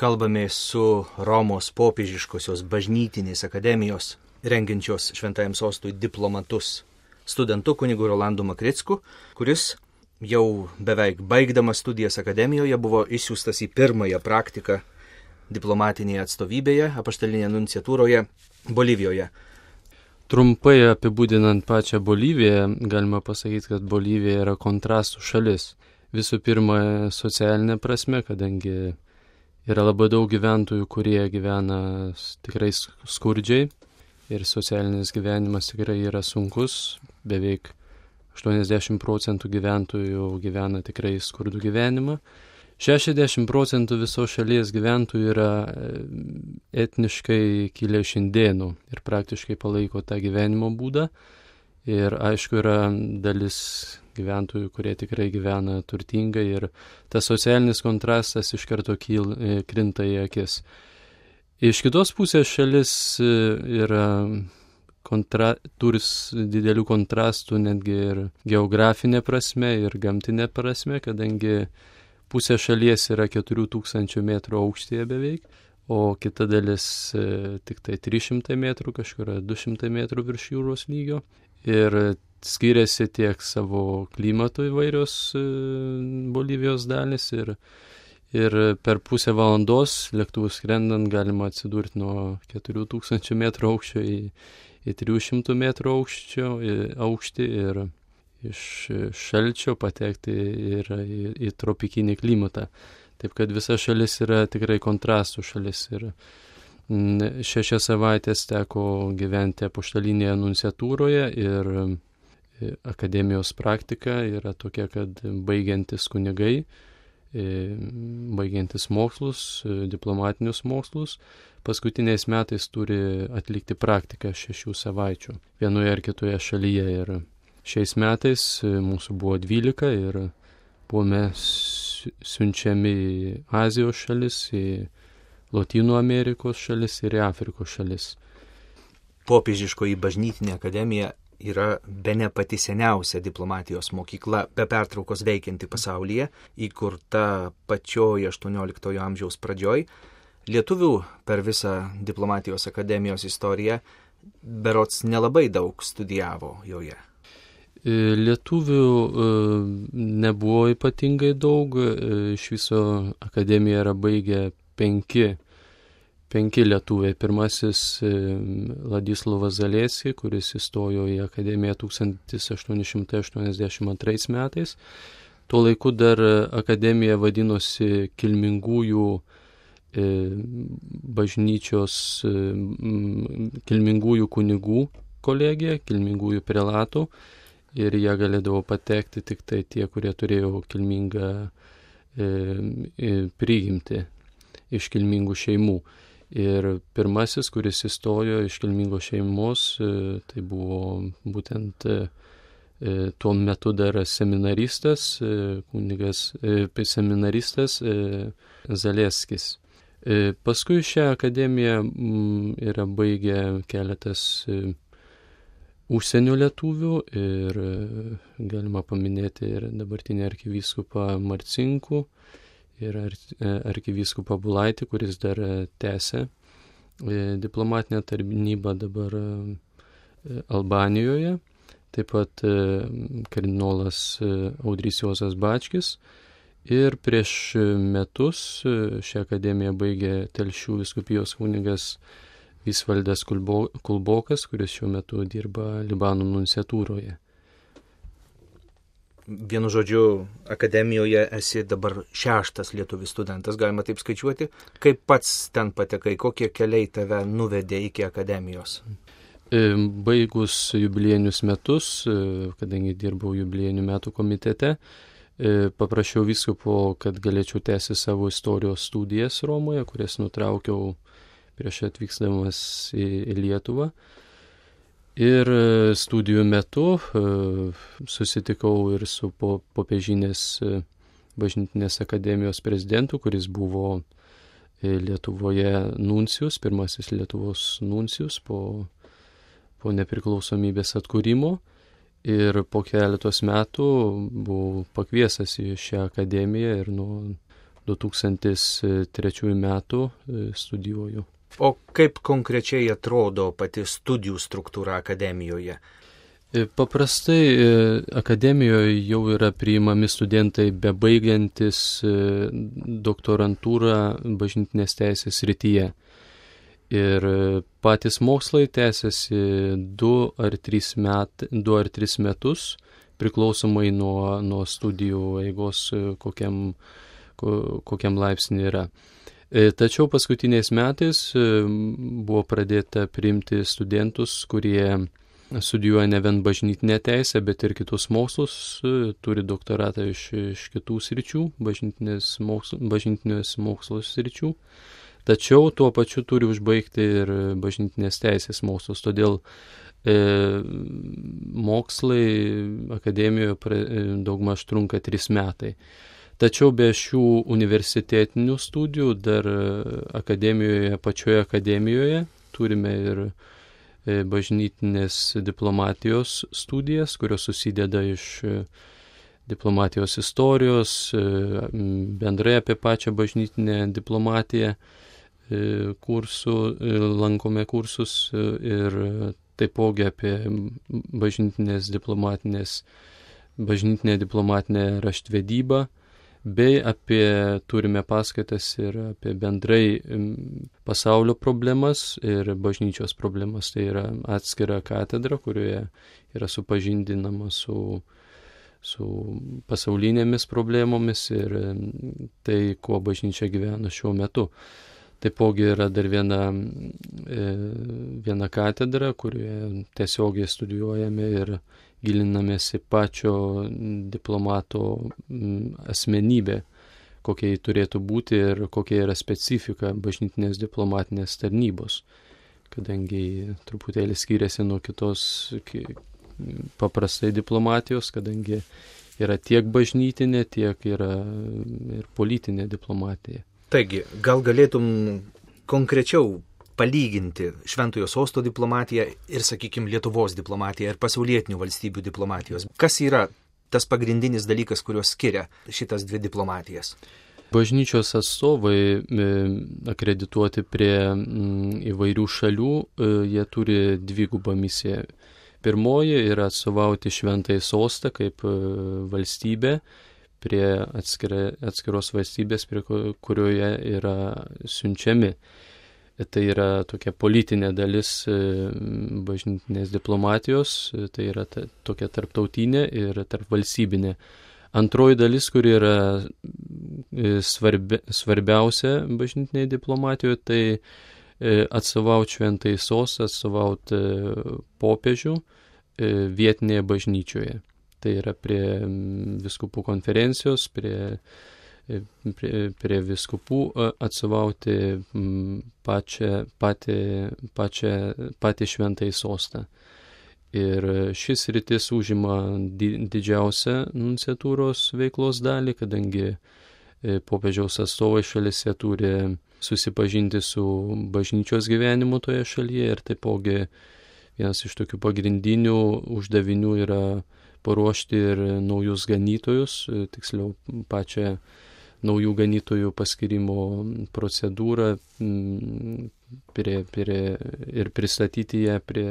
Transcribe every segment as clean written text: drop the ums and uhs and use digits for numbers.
kalbamės su Romos popiežiškosios bažnytinės akademijos rengiančios Šventajam sostui diplomatus studentu kunigu Rolandu Makricku, kuris jau beveik baigdamas studijas akademijoje buvo išsiųstas į pirmąją praktiką diplomatinėje atstovybėje, apaštalinėje nunciatūroje Bolivijoje. Trumpai apibūdinant pačią Boliviją, galima pasakyti, kad Bolivija yra kontrastų šalis. Visų pirma, socialinė prasme, kadangi yra labai daug gyventojų, kurie gyvena tikrai skurdžiai ir socialinis gyvenimas tikrai yra sunkus. Beveik 80% gyventojų gyvena tikrai skurdų gyvenimą. 60% visos šalies gyventojų yra etniškai kilę iš indėnų ir praktiškai palaiko tą gyvenimo būdą. Ir aišku, yra dalis gyventojų, kurie tikrai gyvena turtingai ir tas socialinis kontrastas iš karto krinta į akis. Iš kitos pusės šalis yra turi didelių kontrastų netgi ir geografinė prasme ir gamtinė prasme, kadangi pusė šalies yra 4000 metrų aukštyje beveik, o kita dalis tik tai 300 metrų, kažkur 200 metrų virš jūros lygio. Ir skiriasi tiek savo klimatu įvairios Bolivijos dalis ir per pusę valandos lėktuvų skrendant galima atsidurti nuo 4000 metrų aukščio į 300 metrų aukštį ir iš šalčio patekti ir į tropikinį klimatą. Taip kad visa šalis yra tikrai kontrastų šalis ir 6 savaitės teko gyventi apaštalinėje nunciatūroje ir akademijos praktika yra tokia, kad baigiantis kunigai, baigiantis mokslus, diplomatinius mokslus, paskutiniais metais turi atlikti praktiką 6 savaičių vienoje ar kitoje šalyje. Ir šiais metais mūsų buvo 12 ir buvome siunčiami į Azijos šalis, į Lotynų Amerikos šalis ir į Afrikos šalis. Popiežiškoji bažnytinė akademija yra bene pati seniausia diplomatijos mokykla be pertraukos veikianti pasaulyje, įkurta pačioje 18 amžiaus pradžioj. Lietuvių per visą diplomatijos akademijos istoriją berods nelabai daug studijavo joje. Lietuvių nebuvo ypatingai daug, iš viso akademiją yra baigę 5 lietuviai. Pirmasis Ladislovas Zaleski, kuris įstojo į akademiją 1882 metais. Tuo laiku dar akademija vadinosi Kilmingųjų bažnyčios, Kilmingųjų kunigų kolegija, Kilmingųjų prelatų. Ir jie galėdavo patekti tik tai tie, kurie turėjo kilmingą prigimtį iš kilmingų šeimų. Ir pirmasis, kuris įstojo iš kilmingos šeimos, tai buvo būtent tuo metu dar seminaristas, seminaristas Zaleskis. Paskui šią akademiją yra baigę keletas užsienio lietuvių ir galima paminėti ir dabartinį arkivyskupą Marcinkų ir arkivyskupą Bulaitį, kuris dar tęsia diplomatinę tarnybą dabar Albanijoje. Taip pat kardinolas Audrys Juozas Bačkis. Ir prieš metus šią akademiją baigė Telšių vyskupijos kunigas Visvaldas Kulbokas, kuris šiuo metu dirba Libano nunciatūroje. Vienu žodžiu, akademijoje esi dabar 6 lietuvis studentas, galima taip skaičiuoti. Kaip pats ten patekai, kokie keliai tave nuvedė iki akademijos? Baigus jubiliejinius metus, kadangi dirbau jubiliejinių metų komitete, paprašiau vyskupo, kad galėčiau tęsti savo istorijos studijas Romoje, kurias nutraukiau prieš atvykdamas į Lietuvą. Ir studijų metu susitikau ir su popiežinės bažnytinės akademijos prezidentu, kuris buvo Lietuvoje nuncijus, pirmasis Lietuvos nuncijus po nepriklausomybės atkūrimo. Ir po keletos metų buvau pakviestas į šią akademiją ir nuo 2003 metų studijuoju. O kaip konkrečiai atrodo pati studijų struktūra akademijoje? Paprastai akademijoje jau yra priimami studentai bebaigiantis doktorantūrą bažnytinės teisės srityje. Ir patys mokslai tęsiasi 2 ar 3 metus, priklausomai nuo studijų eigos, kokiam laipsnį yra. Tačiau paskutiniais metais buvo pradėta priimti studentus, kurie studijuoja ne vien bažnytinę teisę, bet ir kitus mokslus, turi doktoratą iš kitų sričių, bažnytinės mokslos sričių, tačiau tuo pačiu turi užbaigti ir bažnytinės teisės mokslus. Todėl mokslai akademijoje daugmaž trunka 3 metai. Tačiau be šių universitetinių studijų dar pačioje akademijoje turime ir bažnytinės diplomatijos studijas, kurios susideda iš diplomatijos istorijos, bendrai apie pačią bažnytinę diplomatiją lankome kursus ir taipogi apie bažnytinę diplomatinę raštvedybą, bei turime paskaitas ir apie bendrai pasaulio problemas ir bažnyčios problemas. Tai yra atskira katedra, kurioje yra supažindinama su pasaulinėmis problemomis ir tai, kuo bažnyčia gyvena šiuo metu. Taipogi yra dar viena katedra, kurioje tiesiogiai studijuojame ir gilinamės į pačio diplomato asmenybę, kokia jį turėtų būti ir kokia yra specifika bažnytinės diplomatinės tarnybos, kadangi truputėlį skiriasi nuo kitos paprastai diplomatijos, kadangi yra tiek bažnytinė, tiek yra ir politinė diplomatija. Taigi, gal galėtum konkrečiau palyginti Šventojo Sosto diplomatiją ir, sakykime, Lietuvos diplomatiją ir pasaulietinių valstybių diplomatijos. Kas yra tas pagrindinis dalykas, kuriuos skiria šitas 2 diplomatijas? Bažnyčios atstovai akredituoti prie įvairių šalių, jie turi 2 misiją. Pirmoji yra atstovauti Šventąjį Sostą kaip valstybę prie atskiros valstybės, prie kurioje yra siunčiami. Tai yra tokia politinė dalis bažnytinės diplomatijos, tai yra tokia tarptautinė ir tarpvalstybinė. Antroji dalis, kuri yra svarbiausia bažnytinėje diplomatijoje, tai atstovauti Šventąjį Sostą, atstovauti popiežių vietinėje bažnyčioje. Tai yra prie vyskupų konferencijos, prie vyskupų atstovauti patį Šventąjį Sostą. Ir šis rytis užima didžiausią nunciatūros veiklos dalį, kadangi popiežiaus atstovai šalyse turi susipažinti su bažnyčios gyvenimu toje šalyje ir taipogi vienas iš tokių pagrindinių uždavinių yra paruošti ir naujus ganytojus, tiksliau pačią naujų ganytojų paskirimo procedūrą ir pristatyti ją prie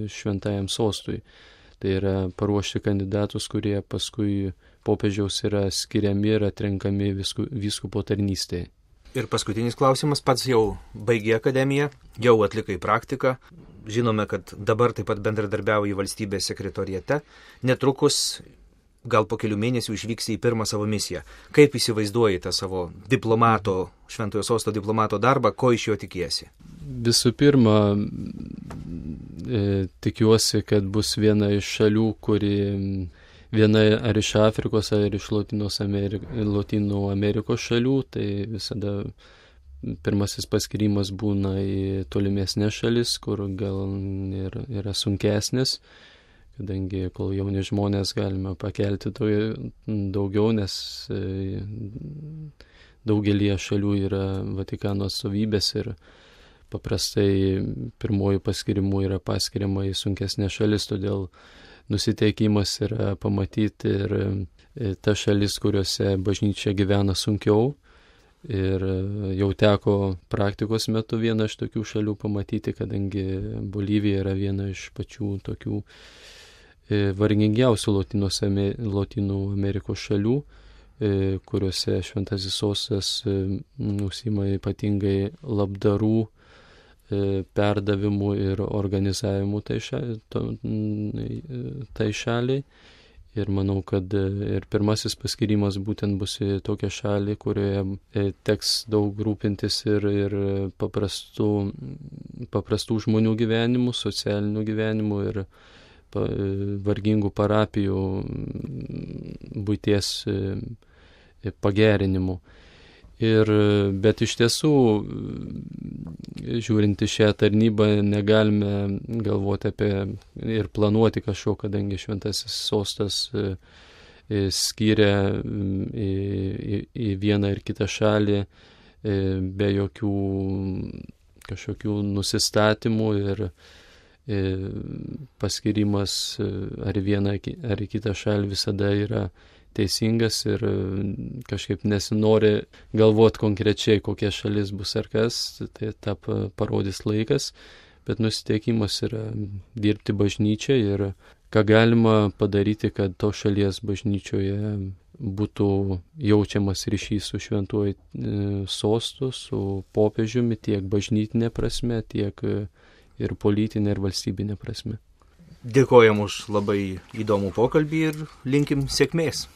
Šventajam Sostui. Tai yra paruošti kandidatus, kurie paskui popiežiaus yra skiriami ir atrenkami vyskupo tarnystėje. Ir paskutinis klausimas, pats jau baigė akademiją, jau atlikai praktiką. Žinome, kad dabar taip pat bendradarbiauji valstybės sekretoriate. Netrukus, gal po kelių mėnesių išvyksi į pirmą savo misiją. Kaip įsivaizduoji tą savo Šventojo Sosto diplomato darbą, ko iš jo tikiesi? Visų pirma, tikiuosi, kad bus viena iš šalių, kuri viena ar iš Afrikos, ar iš Lotynų Amerikos šalių, tai visada pirmasis paskirimas būna į tolimesnės šalis, kur gal yra sunkesnis, kadangi kol jauni žmonės galime pakelti to daugiau, nes daugelie šalių yra Vatikano atstovybės ir paprastai pirmojų paskirimų yra paskiriama į sunkesnės šalis, todėl nusiteikimas yra pamatyti ir tas šalis, kuriuose bažnyčia gyvena sunkiau, Ir jau teko praktikos metu vieną iš tokių šalių pamatyti, kadangi Bolivija yra viena iš pačių tokių vargingiausių Lotynų Amerikos šalių, kuriuose Šventasis Sostas užsiima ypatingai labdarų perdavimu ir organizavimu tai šaliai. Ir manau, kad ir pirmasis paskirimas būtent bus į tokią šalį, kurioje teks daug rūpintis ir paprastų žmonių gyvenimų, socialinių gyvenimų ir vargingų parapijų buities pagerinimu. Bet iš tiesų, žiūrint į šią tarnybą, negalime galvoti apie ir planuoti kažko, kadangi Šventasis Sostas skyrė į vieną ir kitą šalį be jokių kažkokių nusistatymų ir paskirimas ar į vieną ar į kitą šalį visada yra teisingas ir kažkaip nesinori galvoti konkrečiai, kokia šalis bus ar kas, tai tą parodys laikas, bet nusiteikimas yra dirbti bažnyčiai ir ką galima padaryti, kad to šalies bažnyčioje būtų jaučiamas ryšys su Šventuoju Sostu, su popiežiumi tiek bažnytinė prasme, tiek ir politinė ir valstybinė prasme. Dėkojam už labai įdomų pokalbį ir linkim sėkmės.